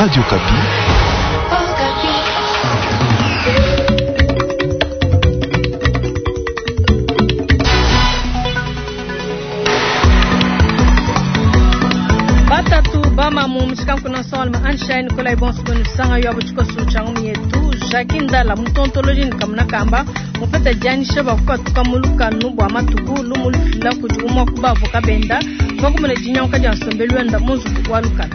Radio Okapi. Batatu bamamu mushikanku solma Anshine Nikolai Bonso sanga yo abuchikosu changu yetu Jacques Ndala mutontoloji ni kamba mupeta dianyisha bakupatuka mu lukanu bua matuku lumu lufila kudi umua ku bavoka benda bakumuna dinyanguka dia nsombelu wenda mu nzubu wa lukanu.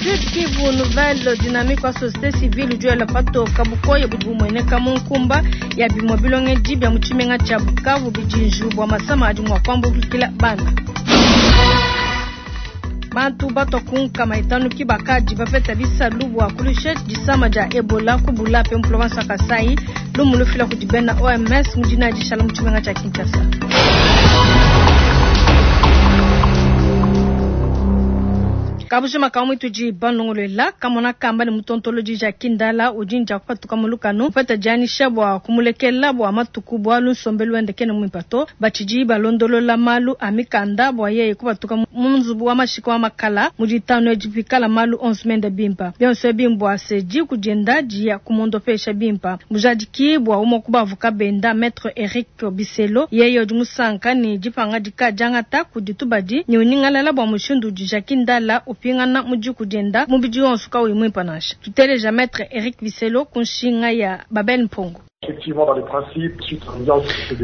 Sud Kivu nouvelle dynamique wa société civile udi patoka bukoya budi bumueneka mu nkumba ya bimue bilongedi bia mu tshimenga tshia Bukavu bidi bua masama adi mua kuambulukila bana. Bantu batwa ku nkama itanu ki bakadi bapeta bisalu bua kulusha disama dia Ebola ku Bulape mu province ya Kasai lumu lufila kudi bena OMS mu dina dishala mu tshimenga tshia Kinshasa. Kabujima kamwe tudi banongolela kamona kamba ne mutontoloji Jacques Ndala udi nja kupatuka mu lukanu upeta dianyisha bua kumulekela bua matuku bualu nsombelu wende kene muimpe to batshidi balondolola malu a mikanda bua yeye kupatuka mu nzubu wa mashika wa makala mu ditanu edi pikala malu onso mende bimpa bionso ebi mbua se diku dienda dia kumondopesha bimpa mujadiki bua umue ku bavoka benda maître Eric Biselo yeye udi musanka ne dipangadika diangata kudi tubadi ne uningalala bua mushindu udi Jacques Ndala upingana mu diku dienda mubidi wonso kauyi muimpe nansha. Tuteleja maître Eric Biselo ku nshinga ya Babel Mpongo.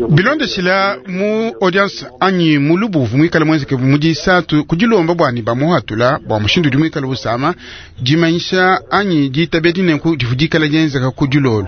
Bilondeshila mu audience anyi mu lubuvu muikale mwenzeke mu disatu kudilomba bua ne bamuhatula bua mushindu udi muikale usama dimanyisha anyi ditabia dinenku divu dikala dienzeka ku dilolo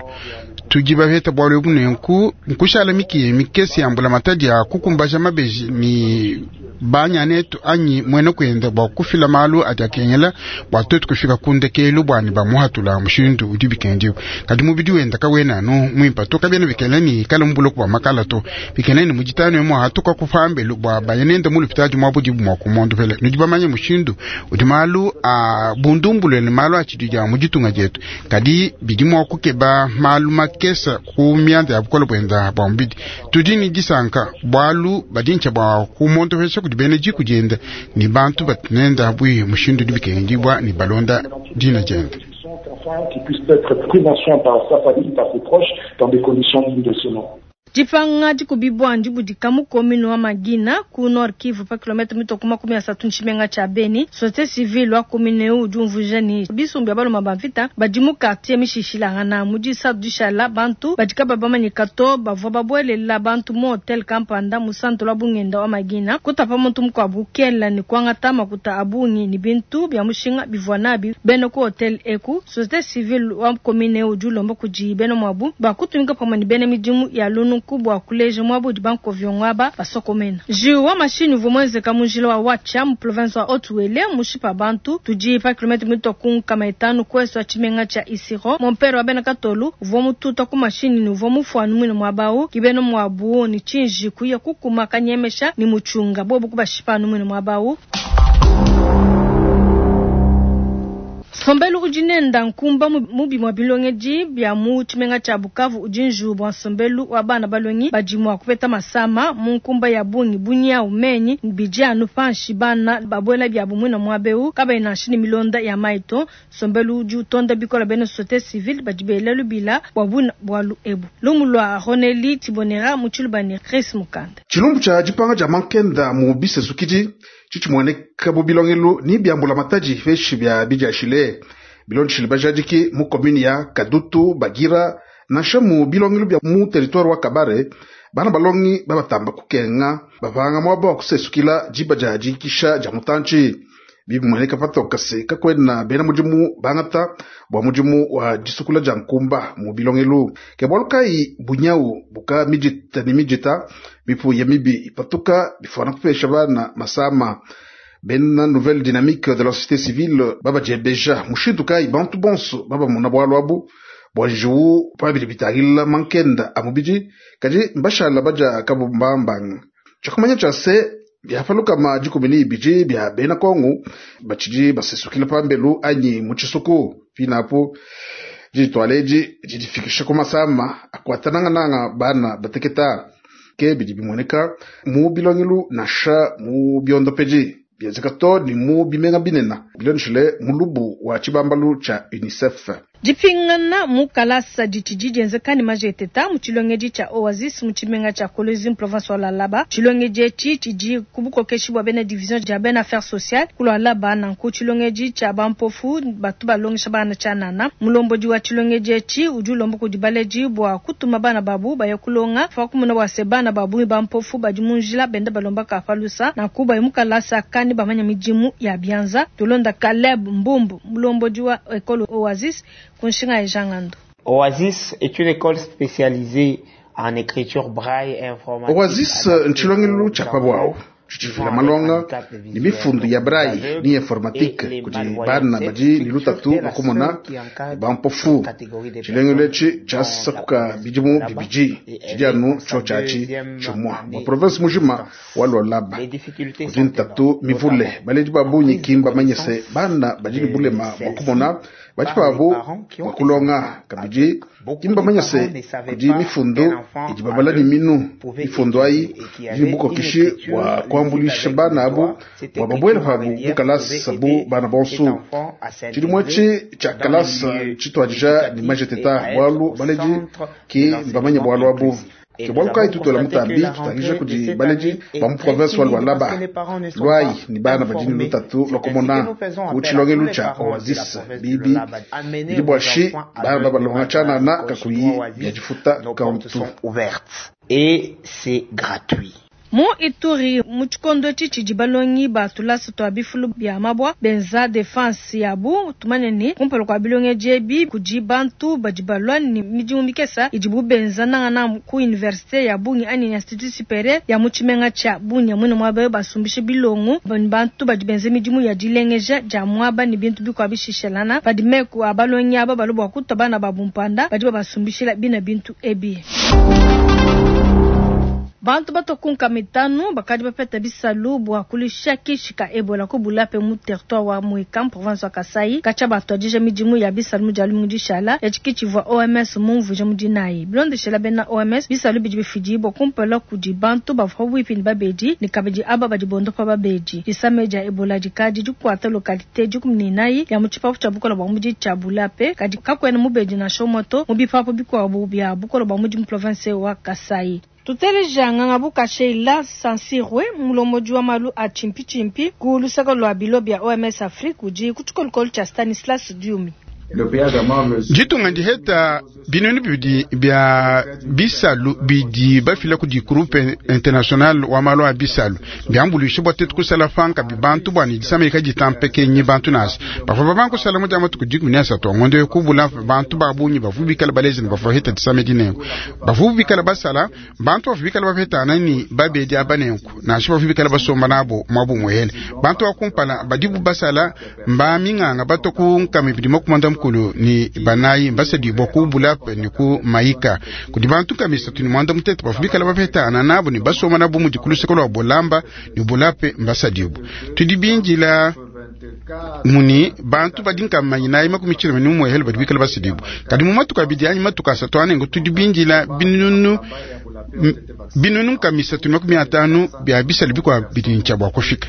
tudi bapeta bualu ebu nenku nkushala mikiya mikese ya mbulamatadi ya kukumbaja mabeji ni banyanetu anyi mwene kuenda bua kufila malu adi akengela bua tuetu kufika ku ndekelu bua ne bamuhatula mushindu udi bikendiwe kadi mubidi wenda kawena anu muimpe to kabiena bikengela ni kala mu buloko bua makala to bikengela ni muditanu emu atuka kupambelu bua bayanenda mu lupitadi mua budibu mua kumondopela nudi bamanye mushindu udi malu a bundumbulule ne malu a tshidi dia mu ditunga dietu kadi bidi mua kukeba malu makesa ku mianda ya bukole buenda bua mubidi tudi ni disanka bualu badi ntsha bua kumondopesha kudi bena diku dienda ni bantu batunenda bui mushindu udi bikengedibua ni balonda dina dienda. Qui puisse être pris en soin par sa famille, par ses proches, dans des conditions dignes de ce nom. Dipanga dikubibua ndibudika mu commune wa Mangina ku Nord Kivu pa kilomètre mitoko 30 ntshimenga tshia Beni. Société civile wa commune eu udi umvuija ni bisumbu bia baluma ba mvita badi mu quartier mishishilangana mu disatu dishala bantu badi kaba bamanyika to bavua babuelela bantu mu hotel kampanda mu centre wa bungenda wa Mangina kutapa muntu mukuabu kela ni kuangata makuta a bungi ni bintu bia mushinga bivua nabi bena ku hotel eku. Société civile wa commune eu udi ulomba kudi bena muabu bakutumika pamue ne bena midimu ya lunu kubwa kuleja mwabu banko vyongwaba basokomena. Jiu wa mashini uvua mwenzeka mu njila wa Watcha mu province wa Haut-Uele mushipa bantu tudi pa kilomètre mito ku nkama itanu kweso wa tshimenga tshia Isiro. Mompero wa bena Katolu uvua mututa ku mashini ni uvua mufuanu mwine mwabau kibeno mwabu ni chinji kuya kukuma kanyemesha ni muchunga bobu kubashipa anu mwine mwabau. Sombelu udi nenda nkumba mubi mwa bilongedi bia mu tshimenga tshia Bukavu udi njuwu bua nsombelu wa bana balongi badi mua kupeta masama mu nkumba ya bungi bunyau menyi bidi anu panshi bana babuela biabu mwina muabeu kabayi nansha ne milonda ya mayi to. Nsombelu udi utonda bikola bena société civile badi bela lubila bua buna bualu ebu. Lumu lua Roneli Tibonera mu Tshilubani Chris Mukanda. Tshilumbu tshia dipanga dia mankenda mu bisesukidi tshitshimueneka bu bilongelu ni bia mbulamatadi peshi bia bidiashile bilondeshile bajadiki mu commune ya Kadutu Bagira nansha mu bilongelu bia mu territoire wa Kabare bana balongi babatamba kukenga bapanga muaba wa kusesukila diba dia dikisha dia mutantshi bibimueneka patoka se kakwena bena mudimu bangata bua mudimu wa disukula dia nkumba mu bilongelu ke bualu kayi bunyau buka midita ne midita mipuya mibi ipatuka bifuana kupesha bana masama. Bena nouvelle dynamique de la société civile babadiebeja mushindu kayi bantu bonso babamona bualu abu bua njiwu pabidi bitangila mankenda a mubidi kadi mbashala badia kabumbambanga tshiakumanya tshia se biapalukama 12 bia bena Kongo batshidi basesukila pambelu anyi mu tshisuku pinapo diditwala edi didifikisha ku masama akuatanangananga bana bateketa ke bidi bimueneka mu bilongelu nansha mu biondopedi. Bienzeka too ne mu bimenga binene bilondeshile mulubu wa tshibambalu tshia UNICEF. Dipingana mu kalasa ditshidi dienzeka ne majeteta mu tshilongedi tshia Oasis mu tshimenga tshia Kolwezi mu province wa Lualaba. Tshilongedi etshi tshidi ku bukokeshi bua bena division dia bena affaires sociales ku Lualaba. Nanku tshilongedi tshia ba mpofu batu balongesha bana tshianana. Mulombodi wa tshilongedi etshi udi ulomba kudi baledi bua kutuma bana babu baya kulonga pa kumona bua se bana ba bungi ba mpofu badi mu njila benda balomba ka pa lusa. Nanku baye mu kalasa ka ne bamanya midimu ya bianza. Tulonda Caleb Mbumbu, mulombodi wa ecole Oasis ku nshinga ya Jean Ngandu. Oasis est une école spécialisée en écriture braille et informatique. Oasis ntshilongelu tshia pa buawu tshitshifila malonga ne mifundu ya braille ne informatique kudi bana badi ne lutatu lua kumona ne bampofu. Tshilongelu etshi tshiasakuka bidimu bibidi tshidi anu tshiotshi atshi tshimua bua province mujima wa Lualaba. Kudi ntatu mivule, baledi ba bungi ki mbamanye se bana badi ne bulema bua kumona badi pabu bua kulonga. Kabidi ki mbamanye se kudi mifundu idi babala ne minu. Mifundu ayi idi ne bukokeshi bua kuambuluisha bana abu bua babuele pabu mu kalasa bu bana bonso. Tshidimu etshi tshia kalasa tshituadija ne majeteta bualu baledi ki mbamanye bualu abu. Ke bualu kayi tutuela mutambi tutangija kudi baledi ba mu province wa Lualaba, luayi ne bana badi ne lutatu lua kumona ku tshilongelu tshia Oasis bibi bidi bua shi bana babalonga tshianana kakuyi bia difuta kantu. Et c'est gratuit. Mu Ituri, mu tshikondo etshi tshidi balongi ba tulasa tua bifulu bia mabua benza defense yabu, tumanye ne, kumpala kua bilongedi ebi kudi bantu badi balua ne midimu mikesa idibu benza nangananga ku universite ya bungi anyi institut superieur ya mu tshimenga tshia Bunia. Muine muaba eu basumbishe bilongo ne bantu badi benza midimu ya dilengeja dia muaba ne bintu bikuabu bishishelana. Padi meku a balongi aba balua bua kutua bana babu mpanda, badi babasumbishila bina bintu ebi. Bantu batua ku nkama itanu bakadi bapeta bisalu bua kuluisha kishi ka Ebola ku Bulape mu territoire wa Mweka mu province wa Kasai. Katshia batuadija midimu ya bisalu mu dia lumingu dishala, etshi ki tshivua OMS mumvuija mu dinayi. Bilondeshela bena OMS, bisalu bidi bifidibua kumpala kudi bantu bavua pabuipi ne babedi ne kabidi aba badi bondopa babedi. Disama dia Ebola dikadi dikuata localite 14 ya mu tshipapu tshia bukola bua mubidi tshia Bulape, kadi kakuena mubedi nansha umue to mu bipapu bikuabu bia bukola bua mubidi mu province wa Kasai. Tuteleja Ngangabuka Sheila Sansirwe, mulombodi wa malu a tshimpitshimpi ku luseke lua bilo bia OMS Afrique, udi ku tshikolokolo tshia Stanislas Diumi. Ditunga ndiheta binunu bibidi bia bisalu bidi bafila kudi Groupe International wa malu a bisalu biambuluishe bua tuetu kusala panka bantu bua ne disama kaditampekenyi bantu nansha bavua babanga kusala mu dia matuku 13 a ngondo eu kubula bantu ba bungi bavua bikala balezi ne bavua bapeta disama edi nenku bavua bikala basala bantu bavua bikala bapetana ne babedi aba nenku nansha bavua bikala basomba nabo muabu muele bantu ba kumpala badibu basala mba minganga batua ku nkama ibidi makumi mukulu ne banayi mbasadibua ku Bulape ne ku Maika kudi bantu nkama isatu ne muanda mutete bavua bikala bapetana nabo ne basomba nabo mudi ku luseke lua Bolamba ne Bulape mbasadibua tudi bindila muni bantu badi nkama inayi makumi tshilema ne umuehele badi bikala basadibua kadi mu matuku abidi anyi matuku asatu anengo tudi bindila binunu binunu nkama isatu ne makumi atanu bia bisali bikuabu bidi ne tshia bua kufika.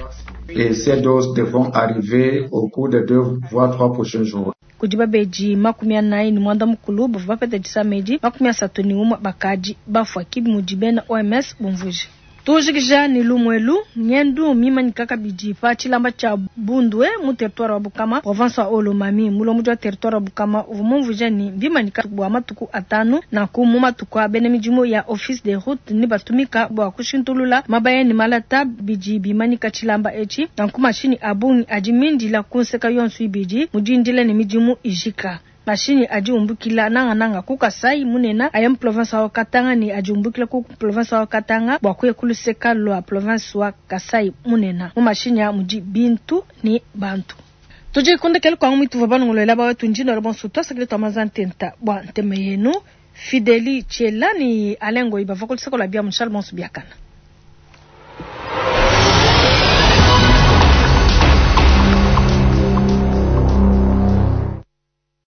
Et ces doses devront arriver au cours des 2 voire 3 prochains jours. Kudi babedi makumi anayi ne muanda mukulu bavua bapeta disama edi, 31 bakadi bafua, ki mudi bena OMS bumvuije. Tujikija ne lumu elu, ngendu mimanyika kabidi pa tshilamba tshia Bundwe mu territoire wa Bukama, province wa Haut-Lomami. Mulombodi wa territoire wa Bukama uvua mumvuije ne mbimanyika bua matuku atanu, nanku mu matuku a bena midimu ya office des routes ne batumika bua kushintulula mabaya ne malata bidi bimanyika tshilamba etshi, nanku mashinyi a bungi adi mindila ku nseka yonso ibidi mu dindila ne midimu ijika. Mashinyi adi umbukila nangananga ku Kasai munene aya mu province wa Katanga ne adi umbukila ku province wa Katanga bua kuya ku luseka lua province wa Kasai munene. Mu mashinyi a mudi bintu ne bantu. Tudi kundekela kwangu mituva balongolola bawetu ndino la bonso twasakile twa manza ntenta bua ntema yenu. Fideli Tshela ni Alain Ngoyi bava ku luseka lua bia mu Charles Bonso Biakana.